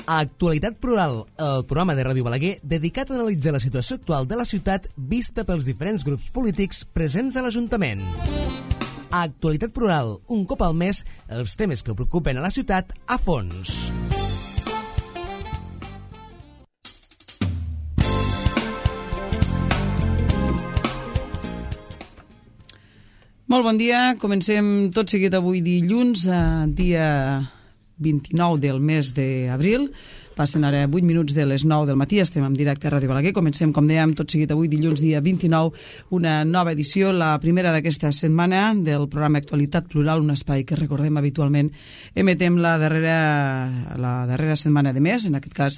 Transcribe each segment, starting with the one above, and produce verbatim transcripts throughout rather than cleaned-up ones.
Actualitat Plural, el programa de Ràdio Balaguer dedicat a analitzar la situació actual de la ciutat vista pels diferents grups polítics presents a l'Ajuntament. Actualitat Plural, un cop al mes, els temes que preocupen a la ciutat a fons. Molt bon dia, comencem tot seguit avui dilluns, dia vint-i-nou del mes d'abril. Passen ara vuit minuts de les nou del matí, estem en directe a Ràdio Balaguer. Comencem, com dèiem, tot seguit avui dilluns, dia vint-i-nou, una nova edició, la primera d'aquesta setmana del programa Actualitat Plural, un espai que recordem habitualment emetem la darrera, la darrera setmana de mes, en aquest cas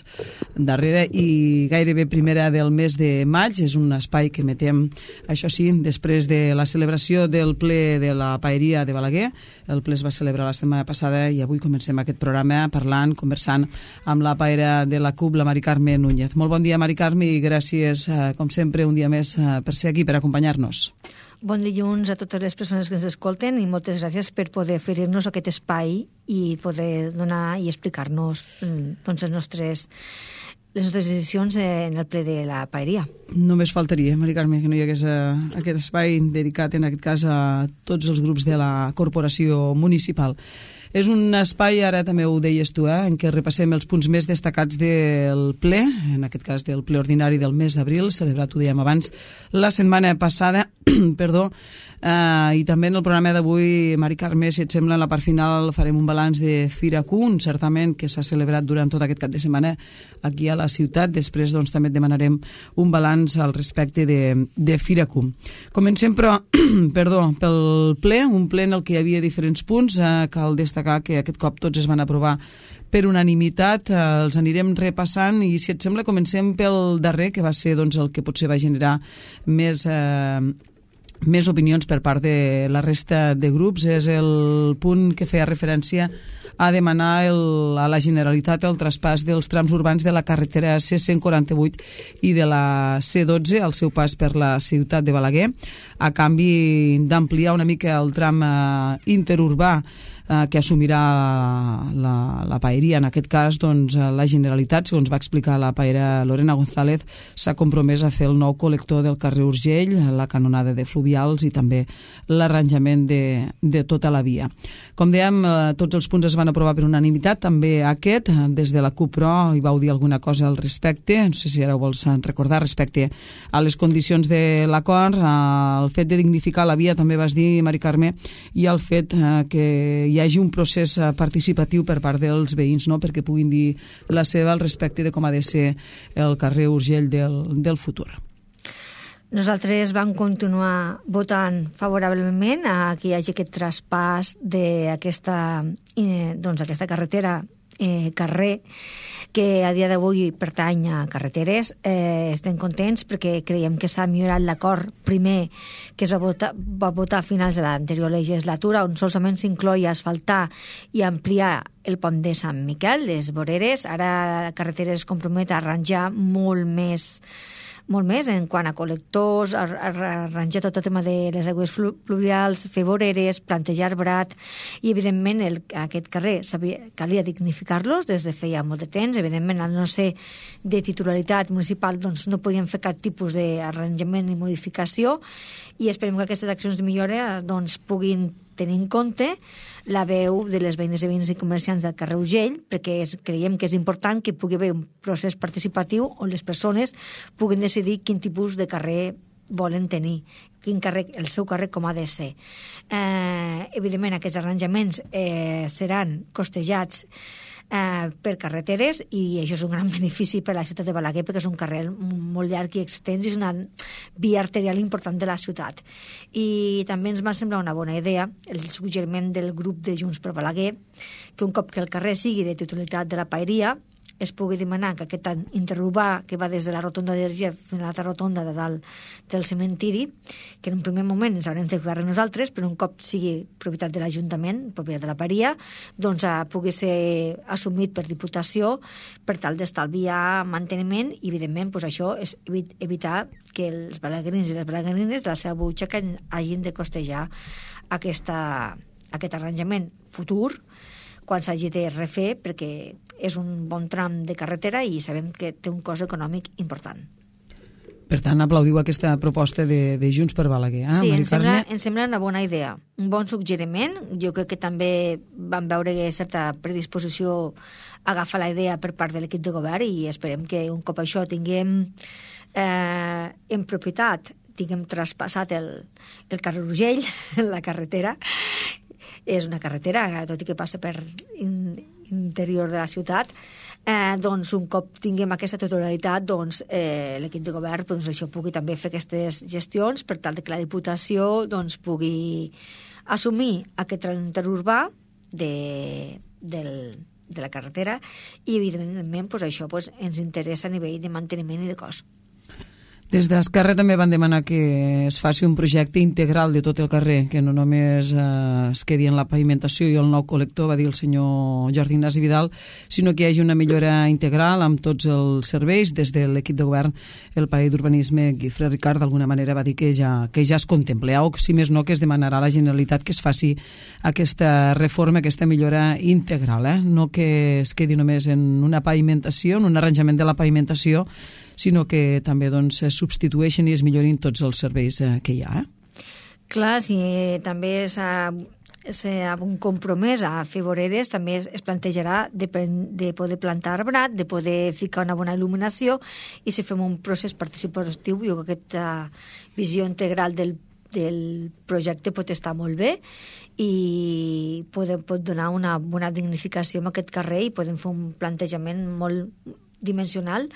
darrera i gairebé primera del mes de maig. És un espai que emetem, això sí, després de la celebració del ple de la Paeria de Balaguer. El ple es va celebrar la setmana passada i avui comencem aquest programa parlant, conversant amb la Paera de la C U P, la Mari Carme Núñez. Molt bon dia, Mari Carme, i gràcies, com sempre, un dia més per ser aquí, per acompanyar-nos. Bon dilluns a totes les persones que ens escolten i moltes gràcies per poder oferir-nos aquest espai i poder donar i explicar-nos doncs, les nostres les nostres decisions en el ple de la Paeria. Només faltaria, Mari Carme, que no hi hagués aquest espai dedicat, en aquest cas, a tots els grups de la corporació municipal. És un espai, ara també ho deies tu, eh, en què repassem els punts més destacats del ple, en aquest cas del ple ordinari del mes d'abril, celebrat, ho dèiem abans, la setmana passada, perdó, eh, i també en el programa d'avui, Mari Carme, si et sembla, en la part final farem un balanç de Fira Q, un certament que s'ha celebrat durant tot aquest cap de setmana aquí a la ciutat. Després doncs, també et demanarem un balanç al respecte de, de Fira Q. Comencem, però, perdó, pel ple, un ple en el que hi havia diferents punts. Eh, cal destacar que aquest cop tots es van aprovar per unanimitat. Eh, els anirem repassant i, si et sembla, comencem pel darrer, que va ser doncs, el que potser va generar més... Eh, més opinions per part de la resta de grups. És el punt que feia referència a demanar el, a la Generalitat el traspàs dels trams urbans de la carretera C cent quaranta-vuit i de la C dotze al seu pas per la ciutat de Balaguer, a canvi d'ampliar una mica el tram eh, interurbà eh, que assumirà la, la, la Paeria. En aquest cas, doncs, la Generalitat, segons va explicar la paera Lorena González, s'ha compromès a fer el nou col·lector del carrer Urgell, la canonada de fluvials i també l'arranjament de, de tota la via. Com dèiem, eh, tots els punts es van aprovar per unanimitat, també aquest. Des de la C U P, però, hi vau dir alguna cosa al respecte, no sé si ara ho vols recordar, respecte a les condicions de l'acord, al fet de dignificar la via, també vas dir, Mari Carme, i al fet eh, que hi hagi un procés participatiu per part dels veïns, no?, perquè puguin dir la seva al respecte de com ha de ser el carrer Urgell del, del futur. Nosaltres vam continuar votant favorablement a que hi hagi aquest traspàs d'aquesta eh, doncs, aquesta carretera, eh, carrer, que a dia d'avui pertany a carreteres. Eh, estem contents perquè creiem que s'ha millorat l'acord primer que es va votar, va votar a finals de l'anterior legislatura, on solament s'incloïa asfaltar i ampliar el pont de Sant Miquel, les voreres. Ara la carretera es compromet a arranjar molt més molt més en quant a col·lectors, a, a arranjar tot el tema de les aigües fluvials, fer voreres, plantejar arbrat, i evidentment el, aquest carrer sabia, calia dignificar-los des de feia molt de temps. Evidentment, al no ser de titularitat municipal, doncs no podien fer cap tipus d'arranjament ni modificació, i esperem que aquestes accions de millora doncs, puguin tenir en compte la veu de les veïnes i veïns i comerciants del carrer Urgell, perquè és, creiem que és important que pugui haver un procés participatiu on les persones puguin decidir quin tipus de carrer volen tenir, quin carrer, el seu carrer com ha de ser. Eh, evidentment, aquests arranjaments eh, seran costejats Eh, per carreteres, i això és un gran benefici per a la ciutat de Balaguer, perquè és un carrer molt llarg i extens i és una via arterial important de la ciutat. I també ens va semblar una bona idea el suggeriment del grup de Junts per Balaguer, que un cop que el carrer sigui de titularitat de la Paeria, es pugui demanar que aquest interurbà que va des de la rotonda d'Erger fins a l'altra rotonda de dalt del cementiri, que en un primer moment ens haurem de fer nosaltres, però un cop sigui propietat de l'Ajuntament, propietat de la Paeria, doncs eh, pugui ser assumit per Diputació per tal d'estalviar manteniment, i evidentment pues, això és evitar que els balaguerins i les balaguerines de la seva butxaca hagin de costejar aquesta, aquest arranjament futur quan s'hagi de refer, perquè és un bon tram de carretera i sabem que té un cost econòmic important. Per tant, aplaudiu aquesta proposta de, de Junts per Balaguer. Eh, sí, em sembla, em sembla una bona idea, un bon suggeriment. Jo crec que també vam veure certa predisposició a agafar la idea per part de l'equip de govern i esperem que un cop això tinguem eh, en propietat, tinguem traspassat el, el carrer Urgell, la carretera. És una carretera, tot i que passa per in, interior de la ciutat, eh, doncs un cop tinguem aquesta totalitat, doncs eh, l'equip de govern doncs, això pugui també fer aquestes gestions per tal de que la Diputació doncs, pugui assumir aquest tram interurbà de, del, de la carretera i evidentment doncs, això doncs, ens interessa a nivell de manteniment i de cost. Des d'Esquerra també van demanar que es faci un projecte integral de tot el carrer, que no només eh, es quedi en la pavimentació i el nou col·lector, va dir el senyor Jordi Ignasi Vidal, sinó que hi hagi una millora integral amb tots els serveis. Des de l'equip de govern, el paller d'Urbanisme, Guifré Ricard, d'alguna manera va dir que ja, que ja es contempla, o si més no, que es demanarà a la Generalitat que es faci aquesta reforma, aquesta millora integral, eh? No que es quedi només en una pavimentació, en un arranjament de la pavimentació, sinó que també doncs, es substitueixen i es millorin tots els serveis eh, que hi ha. Eh? Clar, si també s'ha un compromès a fer voreres, també es, es plantejarà de, de poder plantar arbrat, de poder ficar una bona il·luminació, i si fem un procés participatiu, jo crec que aquesta visió integral del, del projecte pot estar molt bé i pot, pot donar una bona dignificació a aquest carrer i podem fer un plantejament molt dimensional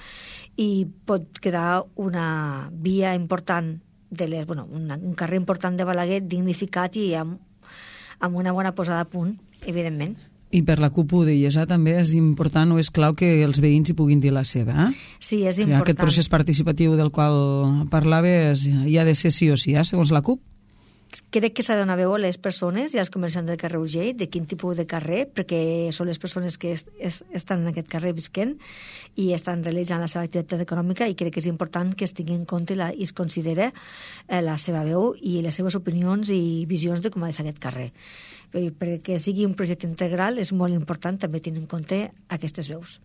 i pot quedar una via important, de les, bueno, una, un carrer important de Balaguer dignificat i amb, amb una bona posada a punt, evidentment. I per la C U P ho deies, eh? També és important o és clau que els veïns hi puguin dir la seva. Eh? Sí, és important. Aquest procés participatiu del qual parlaves hi ha de ser sí o sí, eh? Segons la C U P. Crec que s'ha de donar veu a les persones i als comerciants del carrer Urgell, de quin tipus de carrer, perquè són les persones que es, es, estan en aquest carrer visquent i estan realitzant la seva activitat econòmica, i crec que és important que es tingui en compte la, i es considere eh, la seva veu i les seves opinions i visions de com ha de ser aquest carrer. Perquè sigui un projecte integral és molt important també tenir en compte aquestes veus.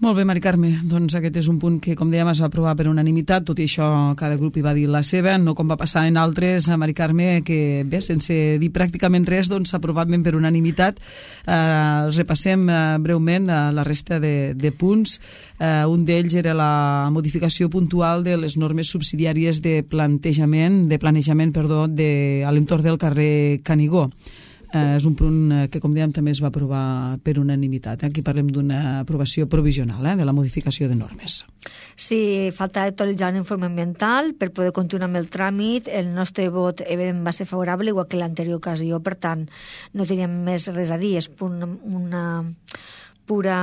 Molt bé, Mari Carme, doncs aquest és un punt que, com dèiem, es va aprovar per unanimitat, tot i això cada grup hi va dir la seva, no com va passar en altres, a Mari Carme, que bé, sense dir pràcticament res, doncs s'ha aprovat ben per unanimitat. Eh, repassem eh, breument eh, la resta de, de punts. Eh, un d'ells era la modificació puntual de les normes subsidiàries de plantejament, de planejament, perdó, de, a l'entorn del carrer Canigó. Eh, és un punt que, com dèiem, també es va aprovar per unanimitat. Aquí parlem d'una aprovació provisional, eh, de la modificació de normes. Sí, falta actualitzar un informe ambiental per poder continuar amb el tràmit. El nostre vot evidentment va ser favorable, igual que l'anterior ocasió, per tant, no teníem més res a dir. És una, una pura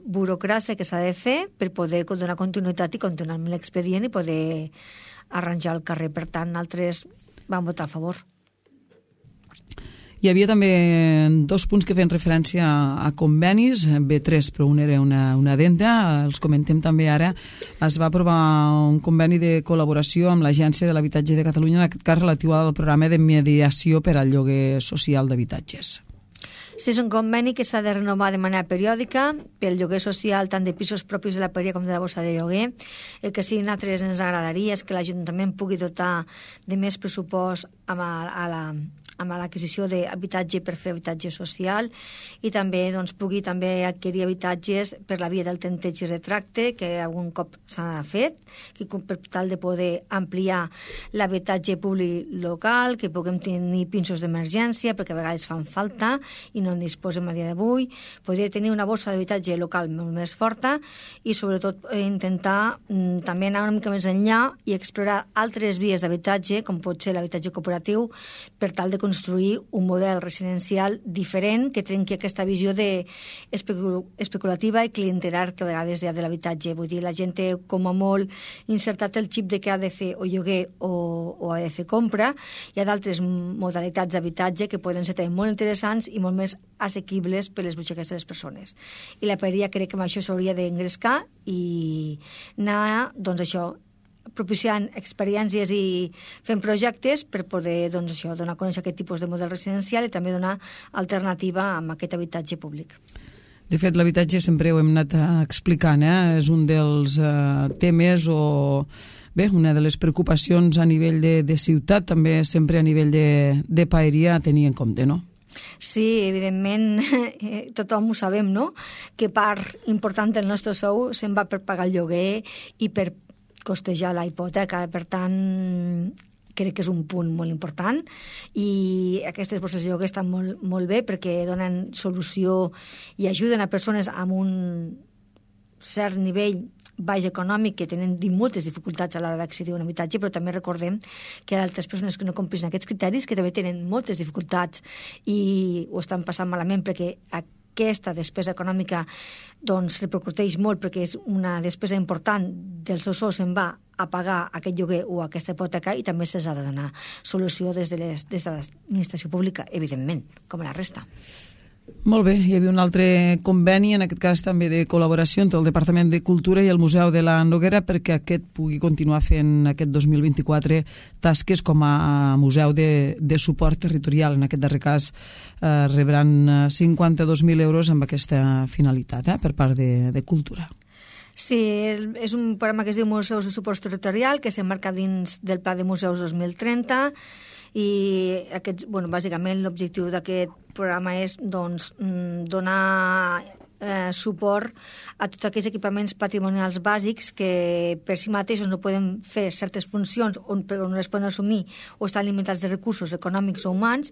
burocràcia que s'ha de fer per poder donar continuïtat i continuar amb l'expedient i poder arranjar el carrer. Per tant, nosaltres vam votar a favor. Hi havia també dos punts que feien referència a convenis, B tres, però un era una, una addenda, els comentem també ara. Es va aprovar un conveni de col·laboració amb l'Agència de l'Habitatge de Catalunya, en aquest cas relatiu al programa de mediació per al lloguer social d'habitatges. Sí, és un conveni que s'ha de renovar de manera periòdica pel lloguer social tant de pisos propis de la paria com de la borsa de lloguer. El que sí, a nosaltres ens agradaria és que l'Ajuntament pugui dotar de més pressupost a la amb l'adquisició d'habitatge per fer habitatge social i també doncs, pugui també adquirir habitatges per la via del tanteig i retracte, que algun cop s'ha fet, que per tal de poder ampliar l'habitatge públic local, que puguem tenir pinsos d'emergència, perquè a vegades fan falta i no en disposem a dia d'avui, poder tenir una borsa d'habitatge local molt més forta i sobretot intentar mm, també anar una mica més enllà i explorar altres vies d'habitatge, com pot ser l'habitatge cooperatiu, per tal de construir un model residencial diferent que trenqui aquesta visió de especul especulativa i clientelar que a vegades hi ha de l'habitatge. Vull dir, la gent té com a molt insertat el xip de que ha de fer o lloguer o, o ha de fer compra. Hi ha d'altres modalitats d'habitatge que poden ser també molt interessants i molt més assequibles per les butxaques de les persones. I la paeria crec que amb això s'hauria d'engrescar i anar, doncs això, propiciant experiències i fent projectes per poder doncs, això, donar a conèixer aquest tipus de model residencial i també donar alternativa amb aquest habitatge públic. De fet, l'habitatge sempre ho hem anat explicant, eh? És un dels eh, temes o, bé, una de les preocupacions a nivell de, de ciutat, també sempre a nivell de, de paeria a tenir en compte, no? Sí, evidentment, tothom ho sabem, no?, que part important del nostre sou se'n va per pagar el lloguer i per costejar la hipoteca. Per tant, crec que és un punt molt important i aquestes borses de lloguer estan molt, molt bé perquè donen solució i ajuden a persones amb un cert nivell baix econòmic que tenen moltes dificultats a l'hora d'accedir a un habitatge, però també recordem que hi ha altres persones que no compleixen aquests criteris que també tenen moltes dificultats i ho estan passant malament perquè aquesta despesa econòmica doncs repercuteix molt perquè és una despesa important del seu sou se'n va a pagar aquest lloguer o aquesta hipoteca i també se'ls ha de donar solució des de les, des de l'administració pública, evidentment, com a la resta. Molt bé, hi havia un altre conveni, en aquest cas també de col·laboració entre el Departament de Cultura i el Museu de la Noguera perquè aquest pugui continuar fent aquest dos mil vint-i-quatre tasques com a museu de, de suport territorial. En aquest darrer cas eh, rebran cinquanta-dos mil euros amb aquesta finalitat eh, per part de, de Cultura. Sí, és, és un programa que es diu Museus de Suport Territorial que s'emmarca dins del Pla de Museus dos mil trenta i aquests, bueno, bàsicament l'objectiu d'aquest programa és doncs, donar eh, suport a tots aquells equipaments patrimonials bàsics que per si mateixos no poden fer certes funcions o no les poden assumir o estan limitats de recursos econòmics o humans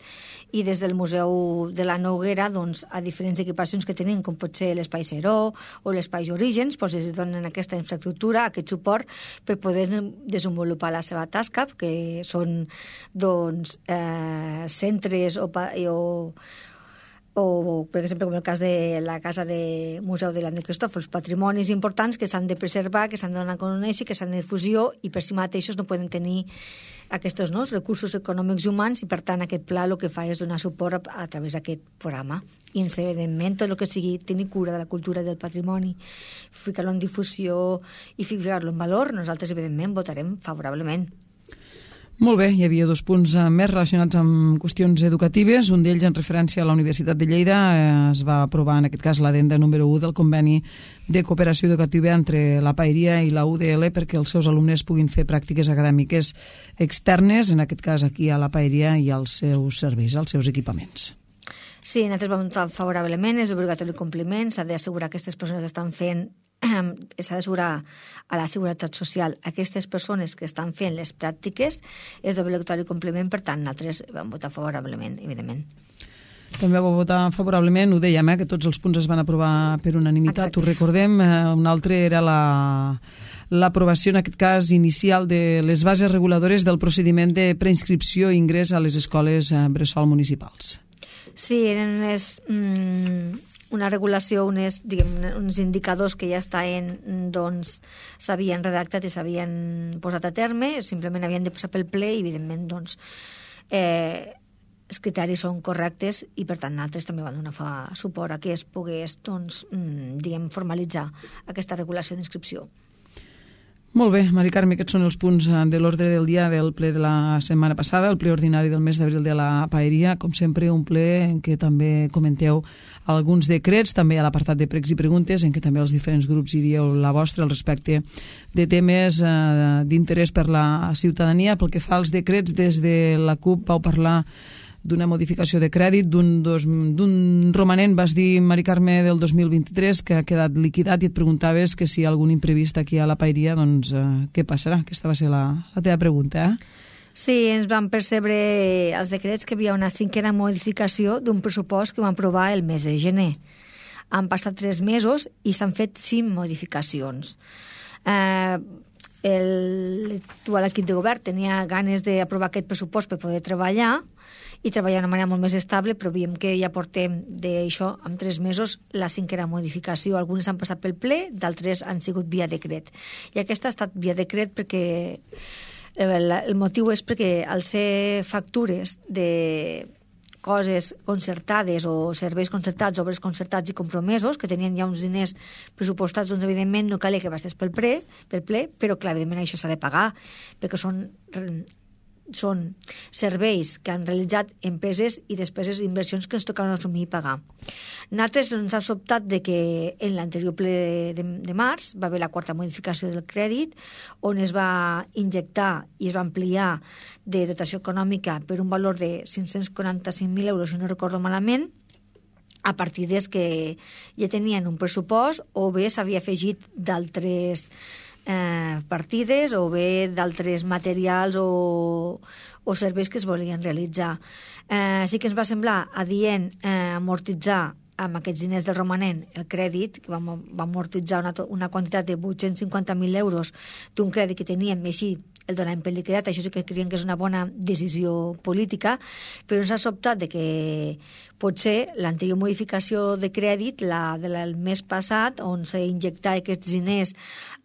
i des del Museu de la Noguera doncs, a diferents equipacions que tenim com pot ser l'Espai Seró o l'Espai Orígens doncs, es donen aquesta infraestructura, aquest suport per poder desenvolupar la seva tasca que són doncs, eh, centres o, o o, per exemple, com el cas de la Casa de Museu de l'André Cristòfol, patrimonis importants que s'han de preservar, que s'han de donar a conèixer, que s'han de difusió i per si mateixos no poden tenir aquests no, recursos econòmics i humans i, per tant, aquest pla el que fa és donar suport a, a través d'aquest programa. I, evidentment, tot el que sigui tenir cura de la cultura i del patrimoni, ficar-lo en difusió i ficar-lo en valor, nosaltres, evidentment, votarem favorablement. Molt bé, hi havia dos punts més relacionats amb qüestions educatives. Un d'ells en referència a la Universitat de Lleida. Es va aprovar en aquest cas l'addenda número u del conveni de cooperació educativa entre la Paeria i la U D L perquè els seus alumnes puguin fer pràctiques acadèmiques externes, en aquest cas aquí a la Paeria i als seus serveis, als seus equipaments. Sí, nosaltres vam votar favorablement, és obligatori el compliment, s'ha d'assegurar que aquestes persones que estan fent, s'ha d'assegurar a la Seguretat Social aquestes persones que estan fent les pràctiques, és d'obligatori compliment, per tant, nosaltres vam votar favorablement, evidentment. També vau votar favorablement, ho dèiem, eh, que tots els punts es van aprovar per unanimitat, ho recordem, eh, un altre era la... l'aprovació, en aquest cas, inicial de les bases reguladores del procediment de preinscripció i ingrés a les escoles bressol municipals. Sí, eren unes, mm, una regulació, unes, diguem, uns indicadors que ja estaven, doncs, s'havien redactat i s'havien posat a terme, simplement havien de passar pel ple i, evidentment, doncs, eh, els criteris són correctes i, per tant, nosaltres també vam donar fa suport a que es pogués, doncs, mm, diguem, formalitzar aquesta regulació d'inscripció. Molt bé, Mari Carme, aquests són els punts de l'ordre del dia del ple de la setmana passada, el ple ordinari del mes d'abril de la Paeria. Com sempre, un ple en què també comenteu alguns decrets, també a l'apartat de pregs i preguntes, en què també els diferents grups hi dieu la vostra al respecte de temes eh, d'interès per la ciutadania. Pel que fa als decrets, des de la CUP vau parlar d'una modificació de crèdit, d'un romanent, vas dir, Mari Carme, del dos mil vint-i-tres, que ha quedat liquidat i et preguntaves que si hi ha algun imprevist aquí a la Paeria, doncs eh, què passarà? Aquesta va ser la, la teva pregunta, eh? Sí, ens van percebre els decrets que hi havia una cinquena modificació d'un pressupost que vam aprovar el mes de gener. Han passat tres mesos i s'han fet cinc modificacions. Eh, l'actual equip de govern tenia ganes d'aprovar aquest pressupost per poder treballar i treballar d'una manera molt més estable, però veiem que ja portem d'això, en tres mesos, la cinquena modificació. Algunes han passat pel ple, d'altres han sigut via decret. I aquesta ha estat via decret perquè el motiu és perquè al ser factures de coses concertades o serveis concertats, obres concertats i compromesos, que tenien ja uns diners pressupostats, doncs evidentment no calia que passés pel ple, pel ple però clar, evidentment això s'ha de pagar, perquè són són serveis que han realitzat empreses i despeses i inversions que ens tocaven assumir i pagar. Nosaltres ens ha sobtat de que en l'anterior ple de, de març va haver la quarta modificació del crèdit, on es va injectar i es va ampliar de dotació econòmica per un valor de cinc-cents quaranta-cinc mil euros, si no recordo malament, a partides que ja tenien un pressupost o bé s'havia afegit d'altres eh, partides o bé d'altres materials o, o serveis que es volien realitzar. Eh, sí que ens va semblar adient eh, amortitzar amb aquests diners del romanent el crèdit, que va, va amortitzar una, una quantitat de vuit-cents cinquanta mil euros d'un crèdit que teníem i així el donàvem per liquidat. Això sí que creiem que és una bona decisió política, però ens ha sobtat de que potser l'anterior modificació de crèdit, la del mes passat, on s'injectava aquests diners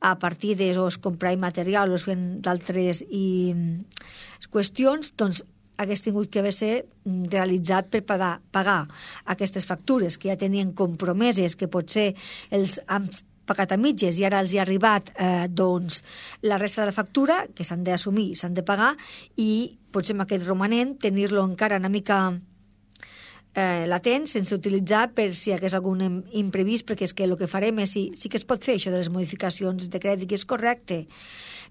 a partides o es comprava material o es feien d'altres i qüestions, doncs hagués tingut que haver ser realitzat per pagar, pagar aquestes factures que ja tenien compromeses, que potser els han pagat a mitges i ara els hi ha arribat eh, doncs, la resta de la factura, que s'han d'assumir, s'han de pagar, i potser amb aquest romanent tenir-lo encara una mica eh, latent, sense utilitzar per si hi hagués algun imprevist, perquè és que el que farem és, sí, sí que es pot fer això de les modificacions de crèdit, que és correcte,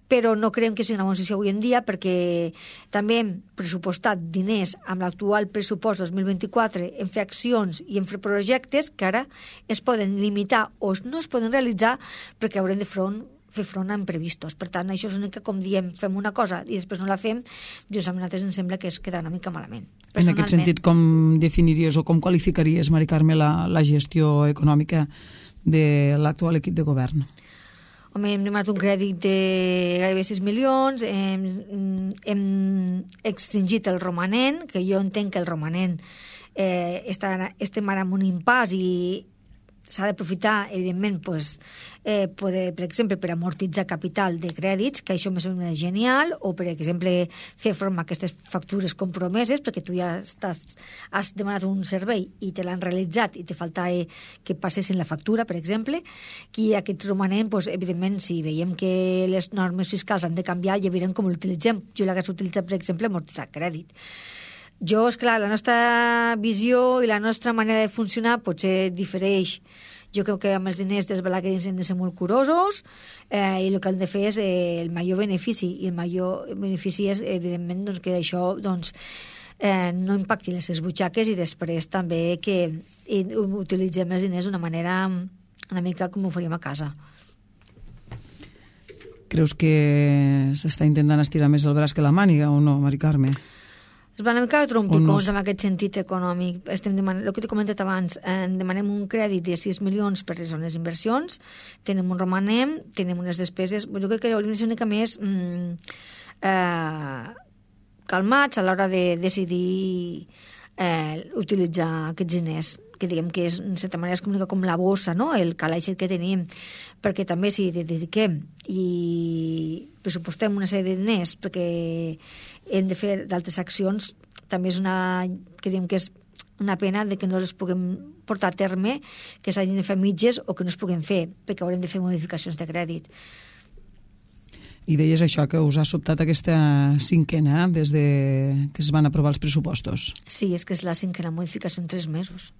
però no creiem que sigui una bona decisió avui en dia, perquè també hem pressupostat diners amb l'actual pressupost dos mil vint-i-quatre en fer accions i en fer projectes que ara es poden limitar o no es poden realitzar perquè haurem de front, fer front a imprevistos. Per tant, això és únic que, com diem, fem una cosa i després no la fem, doncs a nosaltres ens sembla que es queda una mica malament. En aquest sentit, com definiries o com qualificaries, Mari Carme, la, la gestió econòmica de l'actual equip de govern? Home, hem demanat un crèdit de gairebé sis milions, hem, hem extingit el romanent, que jo entenc que el romanent eh, està, estem ara en un impàs i s'ha d'aprofitar, evidentment, pues, eh, poder, per exemple, per amortitzar capital de crèdits, que això me sembla genial, o, per exemple, fer front a aquestes factures compromeses, perquè tu ja estàs, has demanat un servei i te l'han realitzat i te falta eh, que passessin la factura, per exemple, que aquest romanent, pues, evidentment, si veiem que les normes fiscals han de canviar, ja veurem com l'utilitzem. Jo l'hagués utilitzat, per exemple, amortitzar crèdit. Jo, esclar, la nostra visió i la nostra manera de funcionar potser difereix. Jo crec que amb els diners dels balaguers hem de ser molt curosos eh, i el que hem de fer és eh, el major benefici, i el major benefici és, evidentment, doncs, que això doncs, eh, no impacti les seves butxaques, i després també que i, utilitzem els diners d'una manera una mica com ho faríem a casa. Creus que s'està intentant estirar més el braç que la màniga o no, Mari Carme? Es van una mica de trompicons en aquest sentit econòmic. Estem demanant, el que t'he comentat abans, eh, demanem un crèdit de sis milions per les zones inversions, tenem un romanem, tenem unes despeses. Jo crec que hauríem de ser una mica més mm, eh, calmats a l'hora de decidir eh, utilitzar aquests diners, que diguem que és, en certa manera, és com, com la bossa, no? El calaix que tenim, perquè també si dediquem i pressupostem una sèrie de diners perquè hem de fer d'altres accions, també és una, que diguem que és una pena de que no les puguem portar a terme, que s'hagin de fer mitges o que no es puguem fer, perquè haurem de fer modificacions de crèdit. I deies això, que us ha sobtat aquesta cinquena des de que es van aprovar els pressupostos. Sí, és que és la cinquena modificació en tres mesos.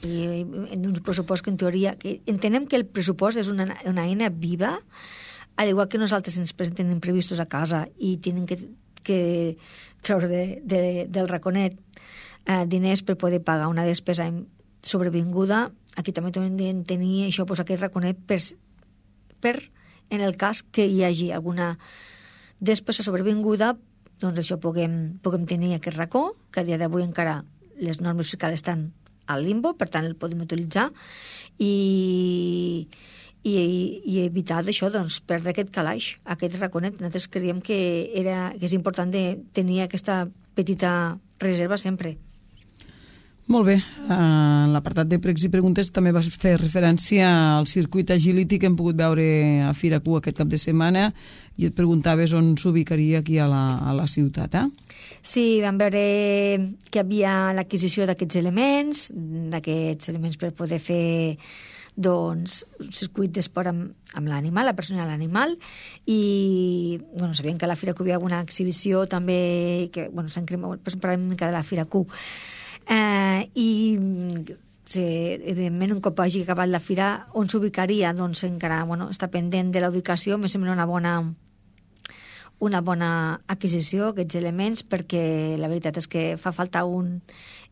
I en un pressupost que en teoria... Que entenem que el pressupost és una, una eina viva, al igual que nosaltres ens presenten imprevistos a casa i tenen que, que treure de, de, del raconet eh, diners per poder pagar una despesa sobrevinguda. Aquí també hem de tenir això, pues, aquest raconet per, per en el cas que hi hagi alguna despesa sobrevinguda, doncs això puguem, puguem tenir aquest racó, que a dia d'avui encara les normes fiscals estan al limbo, per tant el podem utilitzar i, i, i evitar d'això, doncs, perdre aquest calaix, aquest raconet. Nosaltres creiem que, era, que és important de tenir aquesta petita reserva sempre. Molt bé. En l'apartat de pregs i preguntes també vas fer referència al circuit Agility que hem pogut veure a Fira Q aquest cap de setmana i et preguntaves on s'ubicaria aquí a la, a la ciutat, eh? Sí, vam veure que hi havia l'adquisició d'aquests elements, d'aquests elements per poder fer doncs, un circuit d'esport amb, amb l'animal, la persona i l'animal, i bueno, sabíem que a la Fira Q hi havia alguna exhibició també, que bueno, s'han cremat, però parlem una mica de la Fira Q. Eh, I sí, evidentment, un cop hagi acabat la fira, on s'ubicaria? Doncs encara bueno, està pendent de la ubicació, me sembla una bona una bona adquisició, aquests elements, perquè la veritat és que fa falta un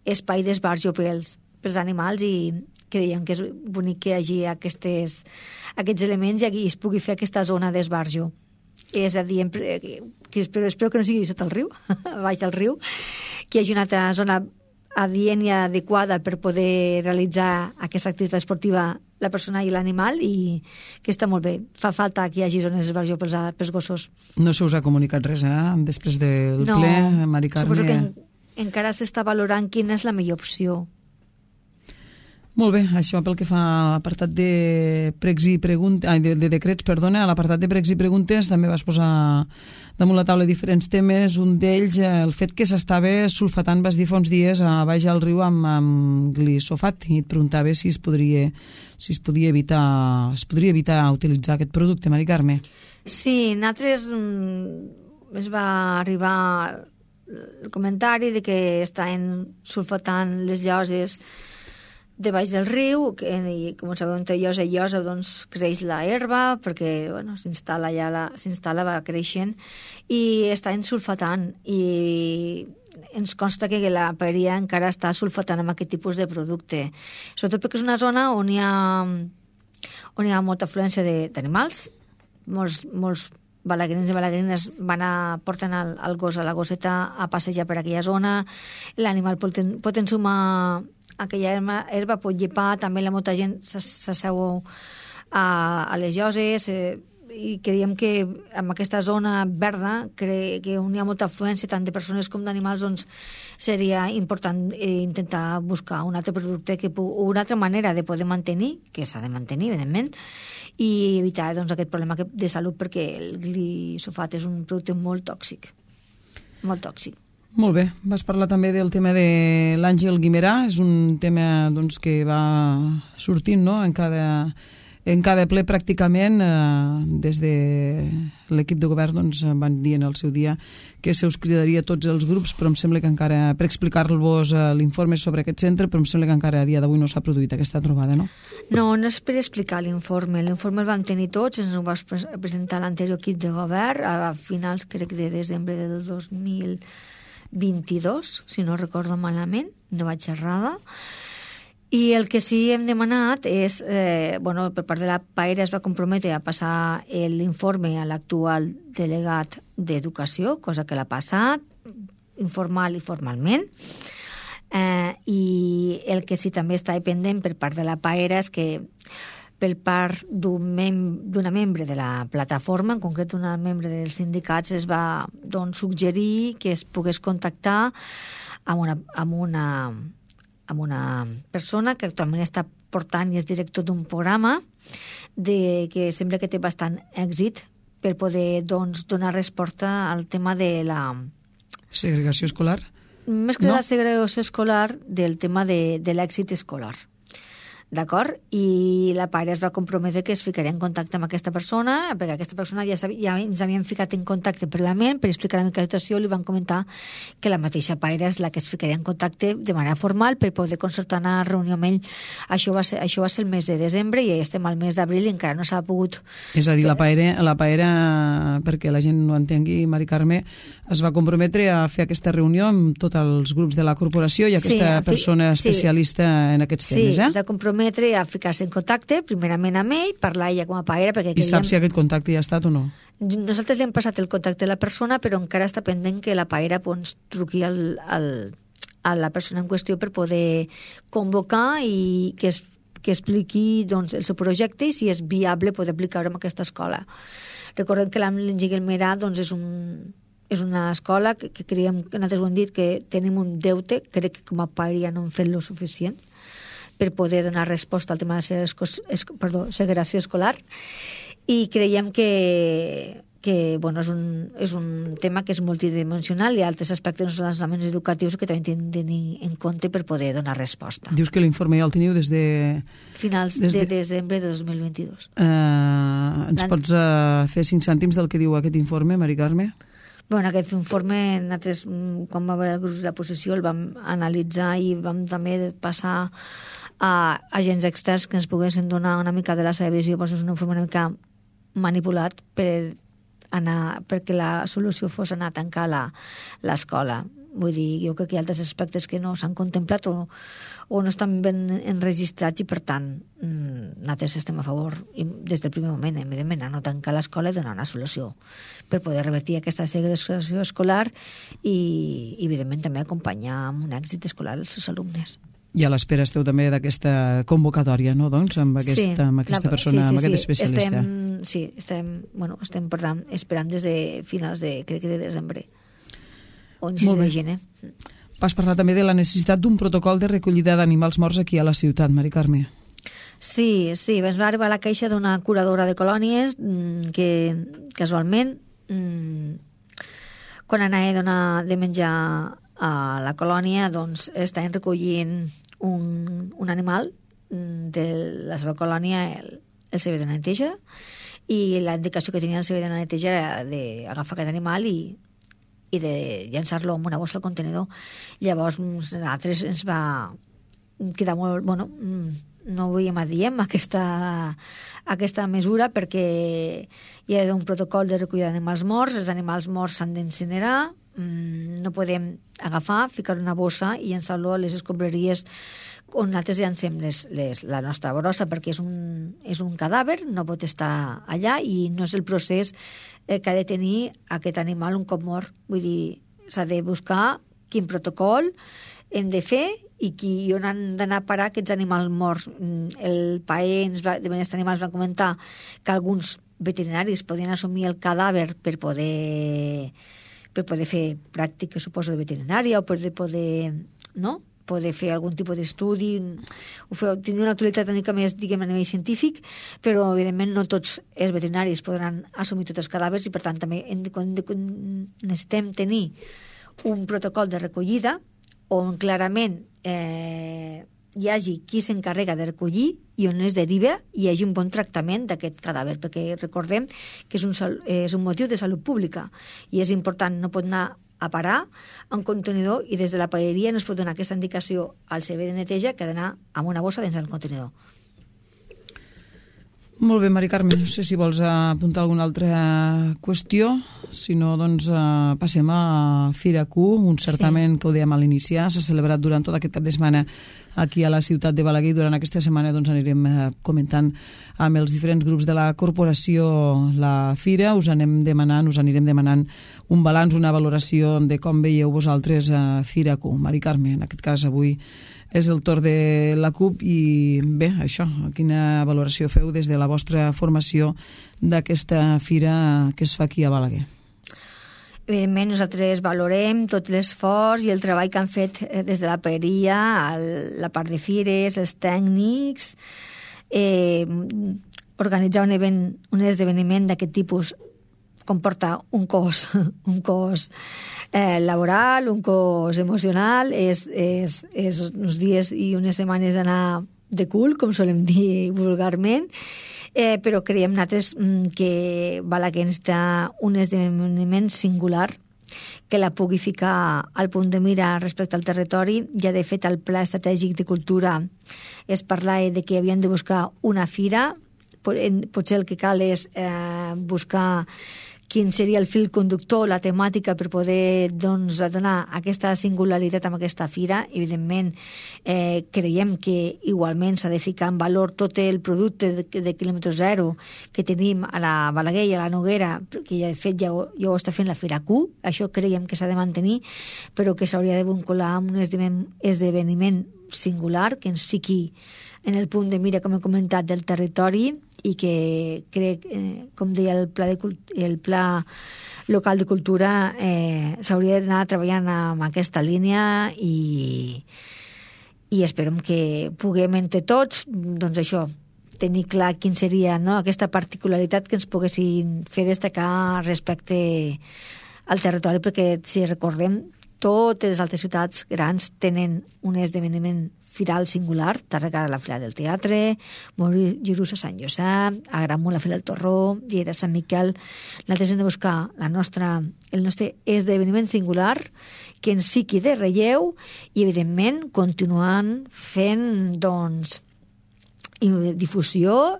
espai d'esbarjo pels, pels animals i creiem que és bonic que hi hagi aquestes, aquests elements i aquí es pugui fer aquesta zona d'esbarjo. És a dir, que espero, espero que no sigui sota el riu, baix del riu, que hi hagi una altra zona adient i adequada per poder realitzar aquesta activitat esportiva la persona i l'animal, i que està molt bé. Fa falta que hi hagi zones d'esbarjo pels, pels gossos. No se us ha comunicat res, eh? Després del no, ple, Mari Carme... Suposo que en, encara s'està valorant quina és la millor opció. Molt bé, això pel que fa a l'apartat de pregs i preguntes, ai, de, de decrets, perdona, a l'apartat de pregs i preguntes també vas posar damunt la taula diferents temes, un d'ells el fet que s'estava sulfatant, vas dir fa uns dies, a baix al riu amb, amb glisofat, i et preguntava si es podria, si es podia evitar, es podria evitar utilitzar aquest producte, Mari Carme. Sí, nosaltres mm, es va arribar el comentari de que estan sulfatant les lloses de baix del riu, que, i com sabeu, entre llosa i llosa doncs, creix la herba, perquè bueno, s'instal·la ja la, s'instal·la, va creixent, i està sulfatant, i ens consta que la paeria encara està sulfatant amb aquest tipus de producte. Sobretot perquè és una zona on hi ha, on hi ha molta afluència d'animals, molts, molts balaguerins i balaguerines van a, porten el, el gos a la gosseta a passejar per aquella zona, l'animal pot, pot ensumar aquella herba, herba pot llepar, també la molta gent s'asseu a, a les lloses, eh, i creiem que en aquesta zona verda, cre, que on hi ha molta afluència tant de persones com d'animals, doncs seria important eh, intentar buscar un altre producte que, o una altra manera de poder mantenir, que s'ha de mantenir, evidentment, i evitar doncs, aquest problema de salut, perquè el glisofat és un producte molt tòxic, molt tòxic. Molt bé, vas parlar també del tema de l'Àngel Guimerà, és un tema doncs, que va sortint no? en, cada, en cada ple pràcticament, eh, des de l'equip de govern doncs, van dir en el seu dia que se us cridaria a tots els grups, però em sembla que encara, per explicar-vos eh, l'informe sobre aquest centre, però em sembla que encara a dia d'avui no s'ha produït aquesta trobada, no? No, no és per explicar l'informe, l'informe el vam tenir tots, ens ho va presentar l'anterior equip de govern a finals, crec, de desembre del dos mil vint-i-dos, si no recordo malament, no vaig errada. I el que sí hem demanat és, eh, bueno, per part de la PAERA es va comprometre a passar l'informe a l'actual delegat d'Educació, cosa que l'ha passat, informal i formalment. Eh, I el que sí també està pendent per part de la PAERA és que per part d'una mem membre de la plataforma, en concret una membre dels sindicats, es va doncs, suggerir que es pogués contactar amb una, amb una, amb una persona que actualment està portant i és director d'un programa de, que sembla que té bastant èxit per poder doncs, donar resposta al tema de la... Segregació escolar? Més que no? de la segregació escolar, del tema de, de l'èxit escolar. D'acord? I la PAERA es va comprometre que es ficaria en contacte amb aquesta persona, perquè aquesta persona ja, ja ens havien ficat en contacte prèviament per explicar la mica la situació, li van comentar que la mateixa PAERA és la que es ficaria en contacte de manera formal per poder concertar una reunió amb ell. Això va ser, això va ser el mes de desembre i ja estem al mes d'abril i encara no s'ha pogut... És a dir, la PAERA, la PAERA, perquè la gent no entengui, Mari Carme, es va comprometre a fer aquesta reunió amb tots els grups de la corporació i aquesta sí, persona especialista sí, en aquests temes, sí, eh? Sí, es va comprometre a ficar-se en contacte, primerament amb ell, parlar ella com a PAERA, perquè... I saps si aquest contacte ja ha estat o no? Nosaltres li hem passat el contacte de la persona, però encara està pendent que la PAERA doncs, truqui al, al, a la persona en qüestió per poder convocar i que, es, que expliqui doncs, el seu projecte i si és viable poder aplicar-ho en aquesta escola. Recordem que l'Àngel Guimerà doncs, és un... és una escola que, que creiem, que nosaltres ho hem dit, que tenim un deute, crec que com a PAERA no hem fet lo suficient per poder donar resposta al tema de la segregació escolar, i creiem que, que bueno, és, un, és un tema que és multidimensional i altres aspectes no són els elements educatius que també tenen de tenir en compte per poder donar resposta. Dius que l'informe ja el teniu des de... Finals des de... de desembre de dos mil vint-i-dos. Uh, ens pots uh, fer cinc cèntims del que diu aquest informe, Mari Carme? Bueno, aquest informe, nosaltres, quan va haver el grup de la posició, el vam analitzar i vam també passar a agents externs que ens poguessin donar una mica de la seva visió. Doncs és un informe una mica manipulat per anar, perquè la solució fos anar a tancar l'escola. Vull dir, jo crec que hi ha altres aspectes que no s'han contemplat o, o no estan ben enregistrats i, per tant, nosaltres estem a favor, i des del primer moment, evidentment, a no tancar l'escola i donar una solució per poder revertir aquesta segregació escolar i, evidentment, també acompanyar amb un èxit escolar els seus alumnes. I a l'espera esteu també d'aquesta convocatòria, no?, doncs, amb aquesta, sí, amb aquesta la, persona, sí, sí, amb aquest sí. especialista. Estem, sí, estem, bueno, estem per tant, esperant des de finals de, crec que de desembre. O inicis de gener. Vas parlar també de la necessitat d'un protocol de recollida d'animals morts aquí a la ciutat, Mari Carme. Sí, sí, ens va arribar la queixa d'una curadora de colònies que, casualment, quan anava a donar de menjar a la colònia, doncs estaven recollint un, un animal de la seva colònia, el, el servei de neteja, i la indicació que tenia el servei de neteja era d'agafar aquest animal i, i de llançar-lo en una bossa al contenidor. Llavors, nosaltres ens va quedar molt... Bueno, no veiem adient aquesta, aquesta mesura perquè hi ha un protocol de recollida d'animals morts, els animals morts s'han d'incinerar, no podem agafar, ficar una bossa i llançar-lo a les escombraries on nosaltres llancem les, les, la nostra brossa, perquè és un, és un cadàver, no pot estar allà i no és el procés eh, que ha de tenir aquest animal un cop mort. Vull dir, s'ha de buscar quin protocol hem de fer i qui, on han d'anar a parar aquests animals morts. El P A E ens va, de benestar animals va comentar que alguns veterinaris podien assumir el cadàver per poder, per poder fer pràctiques, suposo, de veterinària o per poder, no?, poder fer algun tipus d'estudi, tenir una utilitat una mica més, diguem, a nivell científic, però, evidentment, no tots els veterinaris podran assumir tots els cadàvers i, per tant, també hem de, de, necessitem tenir un protocol de recollida on clarament eh, hi hagi qui s'encarrega de recollir i on es deriva i hi hagi un bon tractament d'aquest cadàver, perquè recordem que és un, és un motiu de salut pública i és important, no pot anar a parar un contenidor i des de la paeria no es pot donar aquesta indicació al servei de neteja que ha d'anar amb una bossa dins del contenidor. Molt bé, Mari Carme, no sé si vols apuntar alguna altra qüestió, si no, doncs eh, passem a Fira Q, un certament sí. que ho dèiem a l'iniciar, s'ha celebrat durant tot aquest cap de setmana aquí a la ciutat de Balaguer i durant aquesta setmana doncs, anirem eh, comentant amb els diferents grups de la corporació la fira, us anem demanant, us anirem demanant un balanç, una valoració de com veieu vosaltres a Fira Q. Mari Carme, en aquest cas avui és el torn de la C U P i bé, això, quina valoració feu des de la vostra formació d'aquesta fira que es fa aquí a Balaguer? Evidentment, nosaltres valorem tot l'esforç i el treball que han fet des de la paeria, la part de fires, els tècnics, eh, organitzar un, event, un esdeveniment d'aquest tipus comporta un cost, un cost eh, laboral, un cost emocional, és, és, és uns dies i unes setmanes d'anar de cul, com solem dir vulgarment, eh, però creiem nosaltres que Balaguer està un esdeveniment singular que la pugui ficar al punt de mira respecte al territori. Ja, de fet, el Pla Estratègic de Cultura es parla de que havien de buscar una fira, potser el que cal és eh, buscar quin seria el fil conductor, la temàtica per poder doncs, donar aquesta singularitat amb aquesta fira. Evidentment, eh, creiem que igualment s'ha de ficar en valor tot el producte de, de quilòmetre zero que tenim a la Balaguer i a la Noguera, que ja, de fet ja ho, ja ho està fent la Fira Q, això creiem que s'ha de mantenir, però que s'hauria de vincular amb un esdeveniment singular que ens fiqui en el punt de mira, com he comentat, del territori i que crec, eh, com deia el pla, de, el pla local de cultura, eh, s'hauria d'anar treballant amb aquesta línia i, i esperem que puguem entre tots, doncs això, tenir clar quin seria, no?, aquesta particularitat que ens poguessin fer destacar respecte al territori, perquè si recordem, totes les altres ciutats grans tenen un esdeveniment firal singular, Tàrrega la Fira del Teatre, Mollerussa a Sant Josep, Agramunt la Fira del Torró, Lleida Sant Miquel. Nosaltres hem de buscar la nostra, el nostre esdeveniment singular que ens fiqui de relleu i, evidentment, continuant fent, doncs, difusió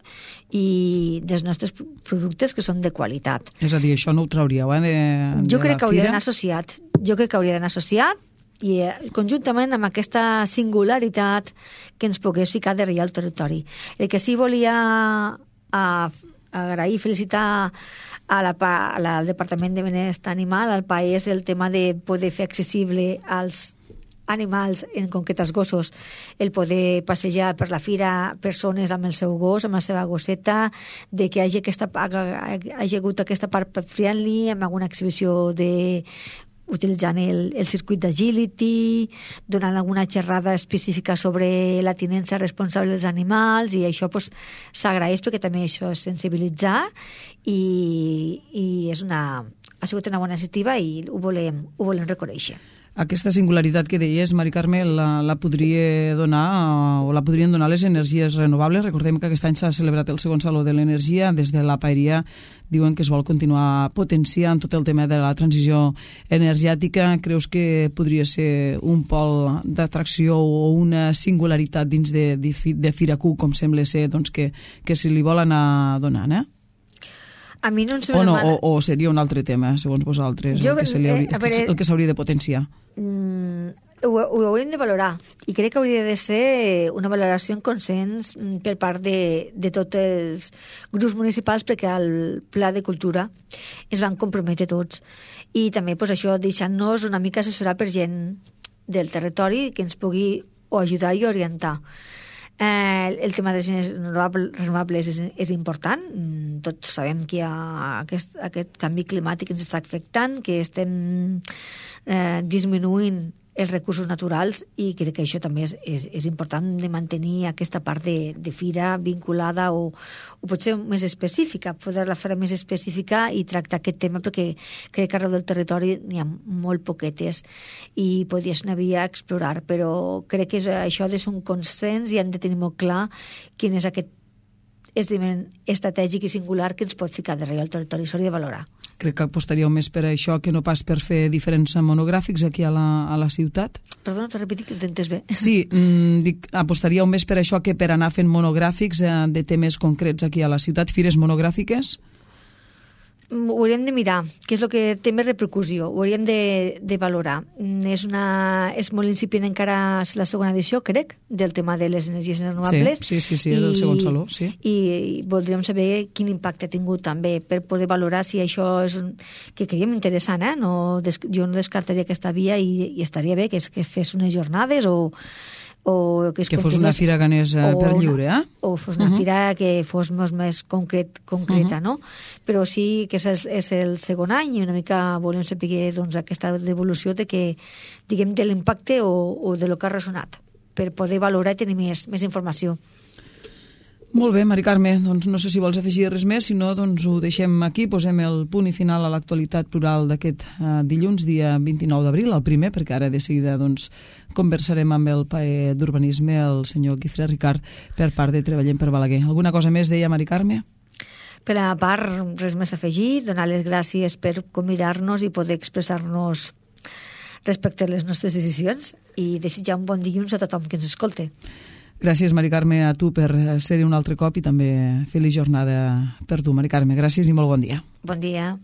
i dels nostres productes que són de qualitat. És a dir, això no ho trauríeu, eh, de, jo de crec que hauria fira? d'anar associat. Jo crec que hauria d'anar associat i eh, conjuntament amb aquesta singularitat que ens pogués ficar de relleu al territori. El que sí volia a, agrair i felicitar a la, a la, al Departament de Benestar Animal, al país, el tema de poder fer accessible als animals, en concret els gossos, el poder passejar per la fira persones amb el seu gos, amb la seva gosseta, de que hi hagi, aquesta, hagi hagut aquesta part pet friendly, amb alguna exhibició de utilitzant el, el circuit d'agility, donant alguna xerrada específica sobre la tinença responsable dels animals, i això pues, s'agraeix perquè també això és sensibilitzar i, i és una, ha sigut una bona iniciativa i ho volem, ho volem reconèixer. Aquesta singularitat que deies, Mari Carme, la, la podria donar o la podrien donar les energies renovables. Recordem que aquest any s'ha celebrat el segon Saló de l'Energia. Des de la Paeria diuen que es vol continuar potenciant tot el tema de la transició energètica. Creus que podria ser un pol d'atracció o una singularitat dins de, de, de Firacu, com sembla ser, doncs, que, que se li vol anar donant, eh? A mi no em o, no, o, o seria un altre tema, segons vosaltres, jo, el que se li hauria, eh, veure, el que s'hauria de potenciar? Mm, ho, ho hauríem de valorar, i crec que hauria de ser una valoració en consens per part de, de tots els grups municipals, perquè al Pla de Cultura es van comprometre tots. I també pues, això deixant-nos una mica assessorar per gent del territori que ens pugui o ajudar i orientar. Eh, el tema de les energies renovables és, és important. Tots sabem que hi ha aquest, aquest canvi climàtic que ens està afectant, que estem eh, disminuint els recursos naturals, i crec que això també és, és, és important de mantenir aquesta part de, de fira vinculada o, o potser més específica, poder-la fer més específica i tractar aquest tema, perquè crec que arreu del territori n'hi ha molt poquetes i podria ser una via a explorar, però crec que és, això ha de ser un consens i hem de tenir molt clar quin és aquest esdeveniment estratègic i singular que ens pot ficar darrere al territori. S'hauria de valorar. Crec que apostaríeu més per això que no pas per fer diferents monogràfics aquí a la, a la ciutat. Perdona, t'ho repetit, que t'entens bé. Sí, mmm, dic, apostaríeu més per això que per anar fent monogràfics eh, de temes concrets aquí a la ciutat, fires monogràfiques? Ho hauríem de mirar, que és el que té més repercussió, ho hauríem de, de valorar. És, una, és molt incipient encara la segona edició, crec, del tema de les energies renovables. Sí, sí, sí, sí, és el segon saló, sí. I, i voldríem saber quin impacte ha tingut també per poder valorar si això és un, que creiem interessant, eh? No, des, jo no descartaria aquesta via i, i estaria bé que, es, que fes unes jornades o o que, es que fos una fira ganesa per lliure, eh? O fos una uh -huh. fira que fos més, més concret, concreta, uh -huh. no? Però sí que és el, és el segon any i una mica volem saber doncs, aquesta devolució de que, diguem, de l'impacte o, o de lo que ha ressonat, per poder valorar i tenir més, més informació. Molt bé, Mari Carme, doncs no sé si vols afegir res més, si no, doncs ho deixem aquí, posem el punt i final a l'actualitat plural d'aquest uh, dilluns, dia vint-i-nou d'abril, el primer, perquè ara de seguida doncs, conversarem amb el paer d'urbanisme, el senyor Guifré Ricard, per part de Treballem per Balaguer. Alguna cosa més deia Mari Carme? Per a part, res més a afegir, donar les gràcies per convidar-nos i poder expressar-nos respecte a les nostres decisions i desitjar un bon dilluns a tothom que ens escolte. Gràcies, Mari Carme, a tu per ser-hi un altre cop i també feliç jornada per tu, Mari Carme. Gràcies i molt bon dia. Bon dia.